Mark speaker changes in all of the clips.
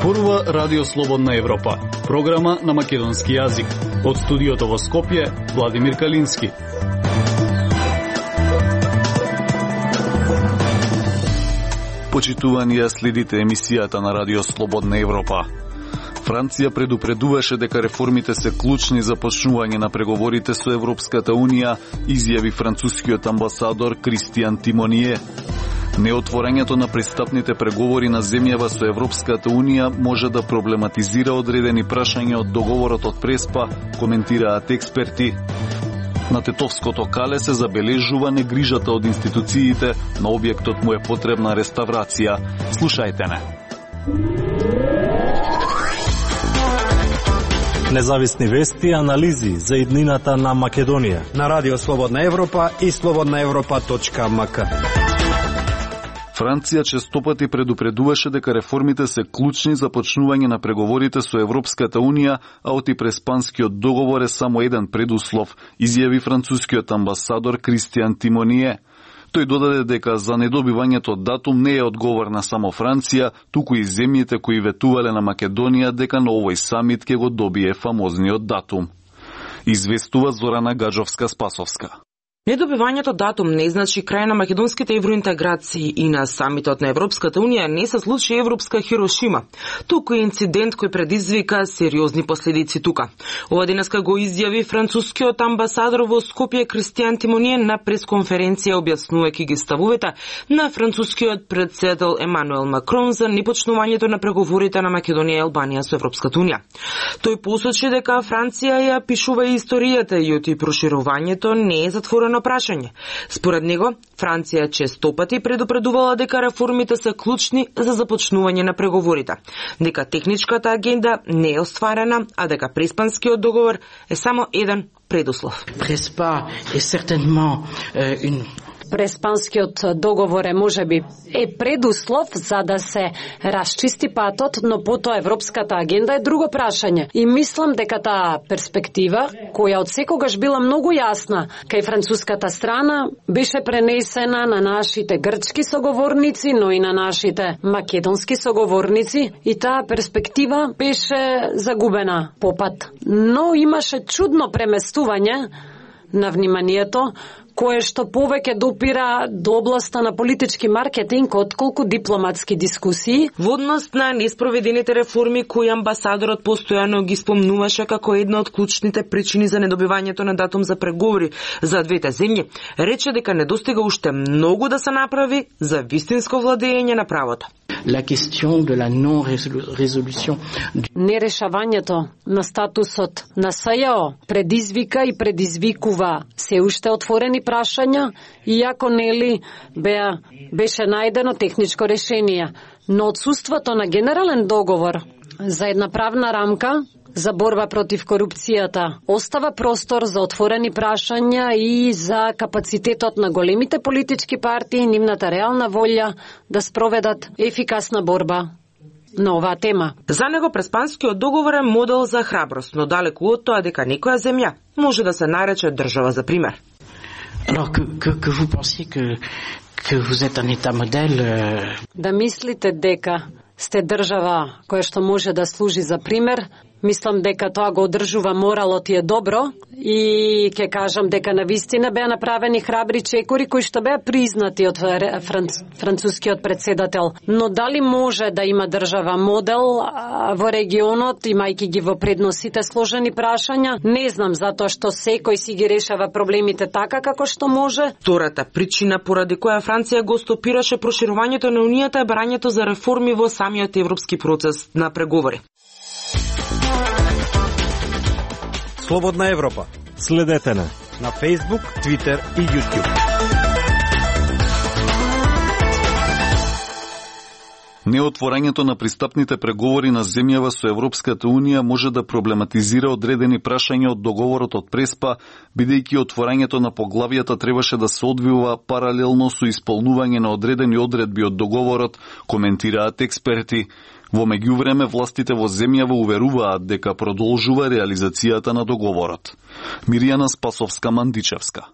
Speaker 1: Зборува Радио Слободна Европа, програма на македонски јазик. Од студиото во Скопје, Владимир Калински. Почитувани ја следите емисијата на Радио Слободна Европа. Франција предупредуваше дека реформите се клучни за почнување на преговорите со Европската Унија, изјави францускиот амбасадор Кристиан Тимоние. Неотворањето на пристапните преговори на земјава со Европската Унија може да проблематизира одредени прашања од договорот од Преспа, коментираат експерти. На Тетовското кале се забележува негрижата од институциите, на објектот му е потребна реставрација. Слушајте не.
Speaker 2: Независни вести и анализи за иднината на Македонија
Speaker 3: на Радио Слободна Европа и slobodnaevropa.mk.
Speaker 1: Франција честопати предупредуваше дека реформите се клучни за почнување на преговорите со Европската Унија, а Преспанскиот договор е само еден предуслов, изјави францускиот амбасадор Кристиан Тимоние. Тој додаде дека за недобивањето датум не е одговорна само Франција, туку и земјите кои ветувале на Македонија дека на овој самит ќе го добие фамозниот датум. Известува Зорана Гаджовска-Спасовска.
Speaker 4: Недобивањето датум не значи крај на македонските евроинтеграции и на самитот на Европската Унија не се случи европска Хирошима. Туку е инцидент кој предизвика сериозни последици тука. Ова денеска го изјави францускиот амбасадор во Скопје Кристиан Тимоние на пресконференција објаснувајќи ги ставовите на францускиот председател Емануел Макрон за непочнувањето на преговорите на Македонија и Албанија со Европската Унија. Тој посочи дека Франција ја пишува историјата и оти проширувањето не е затворено прашање. Според него, Франција честопати предупредувала дека реформите се клучни за започнување на преговорите, дека техничката агенда не е остварена, а дека Преспанскиот договор е само еден предуслов.
Speaker 5: Преспанскиот договор е можеби предуслов за да се расчисти патот, но потоа европската агенда е друго прашање. И мислам дека таа перспектива, која од секогаш била многу јасна кај француската страна, беше пренесена на нашите грчки соговорници, но и на нашите македонски соговорници, и таа перспектива беше загубена по пат. Но имаше чудно преместување на вниманието, кое што повеќе допира до областа на политички маркетинг отколку дипломатски дискусии.
Speaker 4: Во однос на неспроведените реформи кои амбасадорот постојано ги спомнуваше како една од клучните причини за недобивањето на датум за преговори за двете земји, рече дека недостига уште многу да се направи за вистинско владење на правото.
Speaker 6: La question de la non-résolution.
Speaker 5: Нерешавањето на статусот на СЈО предизвика и предизвикува се уште отворени прашања, иако нели беше најдено техничко решение, но отсуството на генерален договор за една правна рамка за борба против корупцијата остава простор за отворени прашања и за капацитетот на големите политички партии и нивната реална волја да спроведат ефикасна борба на оваа тема.
Speaker 4: За него Преспанскиот договор е модел за храброст, но далеку од тоа дека некоја земја може да се нарече држава за пример.
Speaker 6: Alors que vous pensiez que vous êtes un état modèle.
Speaker 5: Да мислите дека сте држава која што може да служи за пример, мислам дека тоа го одржува моралот и е добро, и ќе кажам дека навистина беа направени храбри чекори кои што беа признати од францускиот председател. Но дали може да има држава модел во регионот, имајќи ги во предносите сложени прашања? Не знам, затоа што секој си ги решава проблемите така како што може.
Speaker 4: Втората причина поради која Франција го стопираше проширувањето на Унијата е барањето за реформи во самиот европски процес на преговори.
Speaker 3: Слободна Европа.
Speaker 2: Следете на
Speaker 3: Facebook, Twitter и YouTube.
Speaker 1: Неотворањето на пристапните преговори на земјава со Европската Унија може да проблематизира одредени прашања од договорот од Преспа, бидејќи отворањето на поглавијата требаше да се одвива паралелно со исполнување на одредени одредби од договорот, коментираат експерти. Во меѓувреме, властите во земјава уверуваат дека продолжува реализацијата на договорот. Мирјана Спасовска-Мандичевска.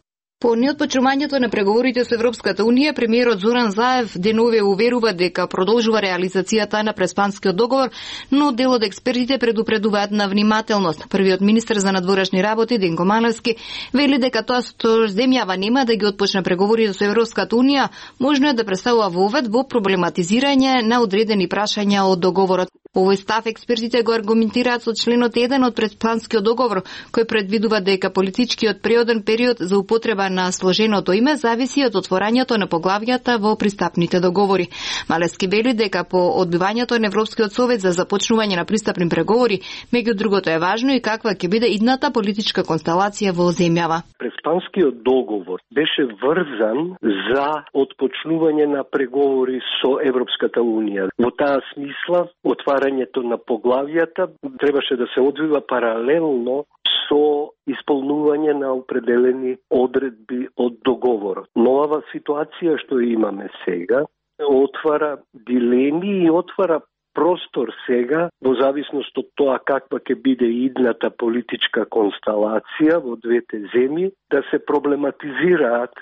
Speaker 7: По неотпочнувањето на преговорите со Европската Унија, премиерот Зоран Заев денове уверува дека продолжува реализацијата на Преспанскиот договор, но дел од експертите предупредуваат на внимателност. Првиот министер за надворешни работи Денко Малевски вели дека тоа што земјава нема да ги отпочне преговорите со Европската Унија, можно е да представува вовед во проблематизирање на одредени прашања од договорот. Овој став експертите го аргументираат со членот 1 од Преспанскиот договор, кој предвидува дека политичкиот преоден период за употреба на сложеното име зависи од отворањето на поглавјата во пристапните договори. Малевски вели дека по одбивањето на Европскиот совет за започнување на пристапни преговори, меѓу другото е важно и каква ќе биде идната политичка констелација во земјава.
Speaker 8: Преспанскиот договор беше врзан за отпочнување на преговори со Европската Унија. Во таа смисла, отварањето на поглавјата требаше да се одвива паралелно со исполнување на определени одредби од договорот. Новава ситуација што имаме сега отвара дилеми и отвара простор сега, во зависност од тоа каква ќе биде идната политичка констелација во двете земји, да се проблематизираат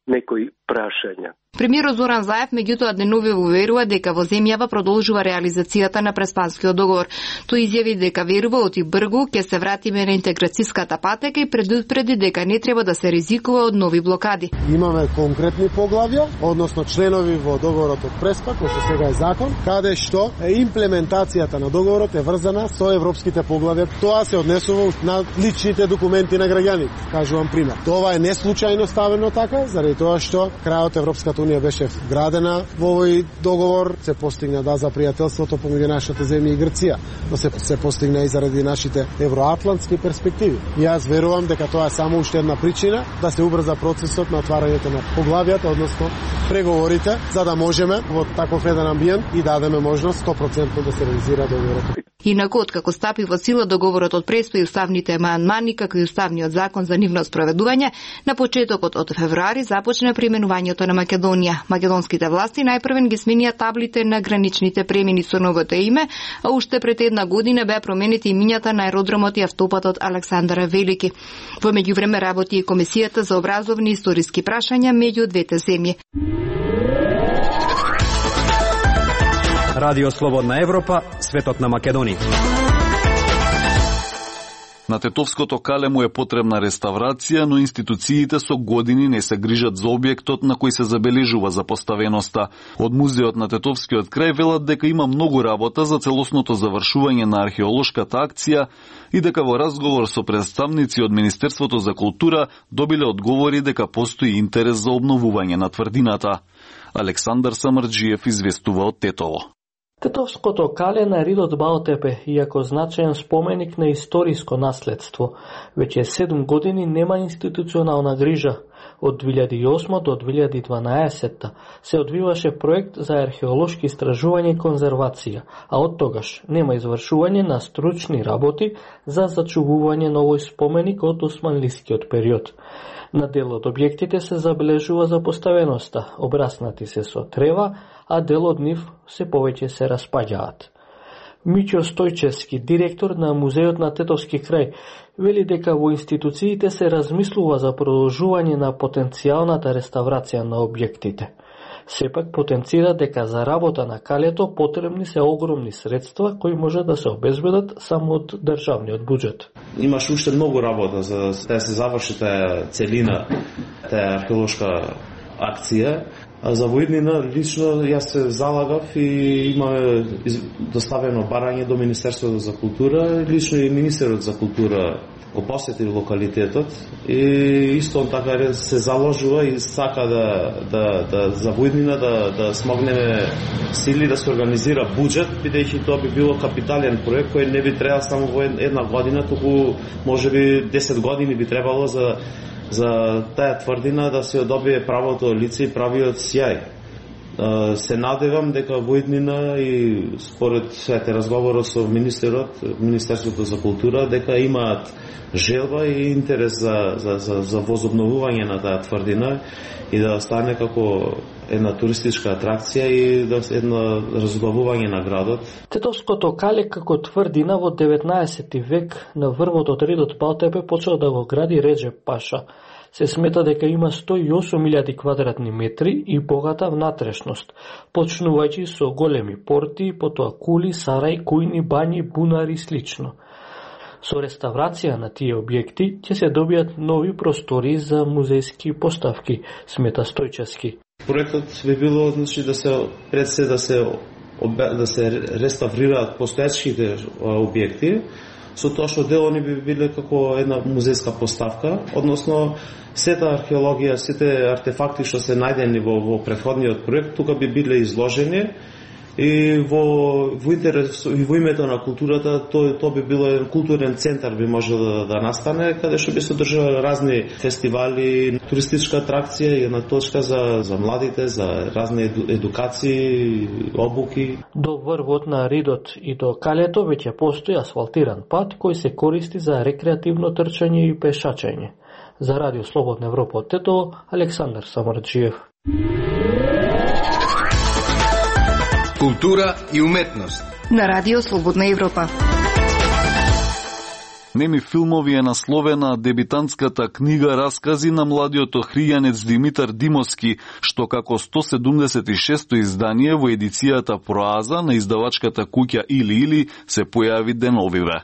Speaker 8: некои прашања.
Speaker 7: Премиерот Зоран Заев меѓутоа денове уверува дека во земјава продолжува реализацијата на Преспанскиот договор. Тој изјави дека верува оти бргу ќе се вратиме на интеграцијската патека и предупреди дека не треба да се ризикува од нови блокади.
Speaker 9: Имаме конкретни поглавја, односно членови во договорот од Преспа, кој што сега е закон, каде што имплементацијата на договорот е врзана со европските поглавја. Тоа се однесува на личните документи на граѓаните. Кажувам пример. Тоа е неслучајно ставено така, заради тоа што крајот Европската Унија беше вградена во овој договор, се постигна за пријателството помеѓу нашата земја и Грција, но се постигна и заради нашите евроатлантски перспективи. И јас верувам дека тоа е само уште една причина да се убрза процесот на отварањето на поглавјата, односно преговорите, за да можеме во таков еден амбиент и дадеме можност 100% да се реализира договорот.
Speaker 7: Инаку, откако стапи во сила договорот од Преспа и уставните амандмани, како и уставниот закон за нивно спроведување, на почетокот од февруари започна применувањето на Македонија. Македонските власти најпрвен ги сменија таблите на граничните премини со новото име, а уште пред една година беа променети имињата на аеродромот и автопатот Александар Велики. Во меѓувреме работи и Комисијата за образовни и историски прашања меѓу двете земји.
Speaker 3: Радио Слободна Европа, светот на Македонија.
Speaker 1: На Тетовското кале му е потребна реставрација, но институциите со години не се грижат за објектот на кој се забележува запоставеноста. Од музеот на Тетовскиот крај велат дека има многу работа за целосното завршување на археолошката акција и дека во разговор со представници од Министерството за култура добиле одговори дека постои интерес за обновување на тврдината. Александар Самарџиев известува од Тетово.
Speaker 10: Тетовското кале на Ридот Баотепе, иако значаен споменик на историско наследство, веќе 7 години нема институционална грижа. Од 2008 до 2012 се одвиваше проект за археолошки истражување и конзервација, а од тогаш нема извршување на стручни работи за зачувување на овој споменик од османлискиот период. На дел од објектите се забележува запоставеноста, обраснати се со трева, а дел од нив се повеќе се распаѓаат. Миќо Стојчевски, директор на музеот на Тетовски крај, вели дека во институциите се размислува за продолжување на потенцијалната реставрација на објектите. Сепак потенцира дека за работа на калето потребни се огромни средства кои може да се обезбедат само од државниот буџет.
Speaker 11: Имаш уште многу работа за да се заврши таа целина, таа археолошка акција. А за воиднина лично јас се залагав и имаме доставено барање до Министерството за култура, лично и Министерот за култура го посети локалитетот и исто така се заложува и сака да за воиднина да смогнеме сили да се организира буџет, бидејќи тоа би било капитален проект кој не би требало само во една година, туку можеби 10 години би требало за таа тврдина да се добие правото лице и правиот сјај. Се надевам дека во иднина и според сите разговорот со Министерството за култура дека имаат желба и интерес за возобновување на таа тврдина и да стане како една туристичка атракција и едно разглавување на градот.
Speaker 10: Тетовското кале како тврдина во 19 век на врвот од редот Балтепе почел да го гради Реджеп Паша. Се смета дека има 108.000 квадратни метри и богата внатрешност, почнувајќи со големи порти, потоа кули, сарај, кујни, бањи, бунари и слично. Со реставрација на тие објекти ќе се добијат нови простори за музејски поставки, смета Стојчевски.
Speaker 11: Проектот би било да се реставрираат постоечките објекти, со тоа што делони би биле како една музејска поставка, односно сета археологија, сите артефакти што се најдени во претходниот проект, тука би биле изложени и во интерес и во името на културата, тоа би било еден културен центар би можело да настане, каде што би се одржувале разни фестивали, туристичка атракција и една точка за младите, за разни едукации, обуки.
Speaker 10: До врвот на Ридот и до калето веќе постои асфалтиран пат кој се користи за рекреативно трчање и пешачење. За Радио Слободна Европа од Тетово, Александар Самарджиев.
Speaker 12: Култура и уметност
Speaker 7: на Радио Слободна Европа.
Speaker 1: Неми филмови е насловена дебитантската книга Раскази на младиот охријанец Димитар Димовски, што како 176-то издание во едицијата Проаза на издавачката куќа Или се појави деновиве.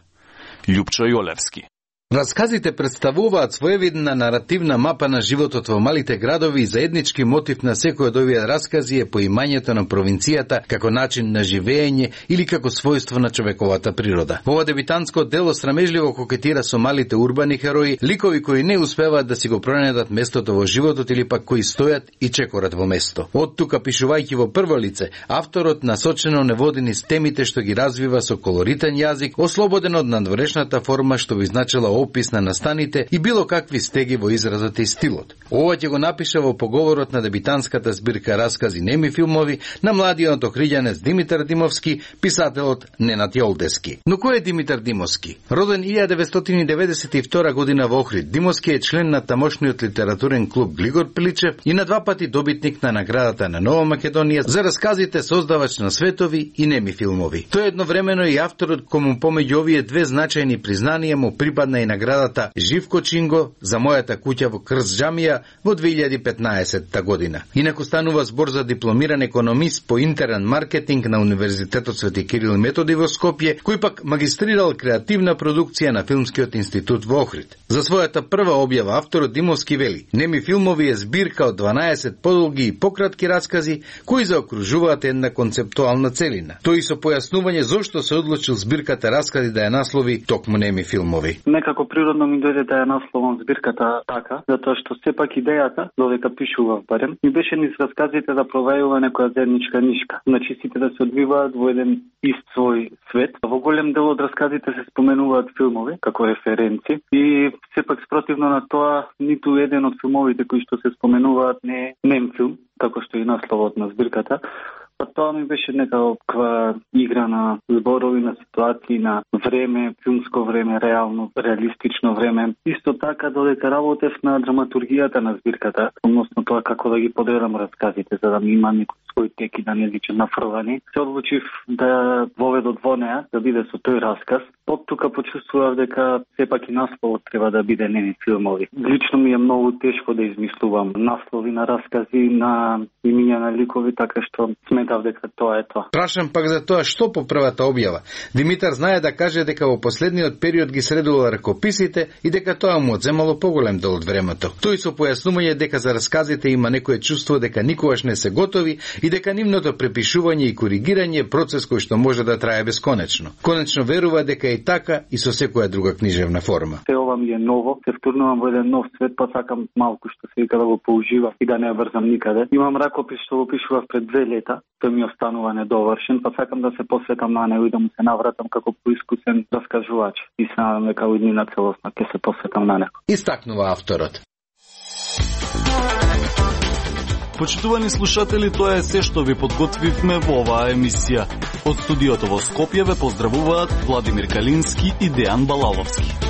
Speaker 1: Љупчо Јолевски.
Speaker 12: Расказите представуваат своевидна наративна мапа на животот во малите градови и заеднички мотив на секој од овие раскази е поимањето на провинцијата како начин на живење или како својство на човековата природа. Ова дебитантско дело срамежливо кокетира со малите урбани херои, ликови кои не успеваат да си го пронедат местото во животот или пак кои стојат и чекорат во место. Од тука, пишувајќи во прво лице, авторот насочено не води низ темите што ги развива со колоритен јазик, ослободен од надворешната форма што би значила опис на настаните и било какви стеги во изразот и стилот. Ова ќе го напише во поговорот на дебитантската збирка Раскази неми филмови на младиот охријанец Димитар Димовски, писателот Ненад Јолдески. Но кој е Димитар Димовски? Роден 1992 година во Охрид, Димовски е член на тамошниот литературен клуб Глигор Пиличев и на 2 пати добитник на наградата на Нова Македонија за расказите создавач на светови и неми филмови. Тој едновремено и авторот кому помеѓу овие две значајни признанија му припадна и наградата Живко Чинго за мојата куќа во Крсџамија во 2015 година. Инаку станува збор за дипломиран економист по интерен маркетинг на Универзитетот Свети Кирил и Методи во Скопје, кој пак магистрирал креативна продукција на Филмскиот институт во Охрид. За својата прва објава авторот Димовски вели: неми филмови е збирка од 12 подолги и пократки раскази кои заокружуваат една концептуална целина. Тој со појаснување зошто се одлучил збирката Раскази да ја наслови токму неми филмови.
Speaker 13: Некако природно ми дојде да ја насловам збирката така, затоа што сепак идејата, додека пишував барем, ми беше низ расказите да провајува некоја заедничка нишка. Значи сите да се одвиваат во еден ист свој свет. Во голем дел од расказите се споменуваат филмови како референци и сепак спротивно на тоа ниту еден од филмовите кои што се споменуваат не е нем филм, како што и насловот на збирката. Па тоа ми беше некаква игра на зборови, на ситуации, на време, филмско време, реално, реалистично време. Исто така, додека работев на драматургијата на збирката, односно тоа како да ги подредам расказите, за да ми има некој свој тек и да не личи нафрлани, се одлучив да воведот во неа, да биде со тој расказ. Од тука почувствував дека сепак и насловот треба да биде неми филмови. Лично ми е многу тешко да измислувам наслови на раскази, на имиња на ликови, така што сметав дека тоа е тоа.
Speaker 12: Прашам пак за тоа што по првата објава. Димитар знае да каже дека во последниот период ги средувал ракописите и дека тоа му одземало поголем дел од времето. Тој со појаснување дека за расказите има некое чувство дека никогаш не се готови и дека нивното препишување и коригирање е процес кој што може да трае бесконечно. Конечно верува дека и така и со секоја друга книжевна форма.
Speaker 13: Се ова ми е ново, се втурнувам во еден нов свет, па сакам малку што се вика да го поужива и да не ја врзам никаде. Имам ракопис што го пишував пред 2 лета, тој ми останува недовршен, па сакам да се посветам на него и да му се навратам како поискусен раскажувач. И се надам дека во иднина целосна ќе се посветам на него.
Speaker 12: Истакнува авторот.
Speaker 1: Почитувани слушатели, тоа е се што ви подготвивме во оваа емисија. Од студиото во Скопје ве поздравуваат Владимир Калински и Дејан Балаловски.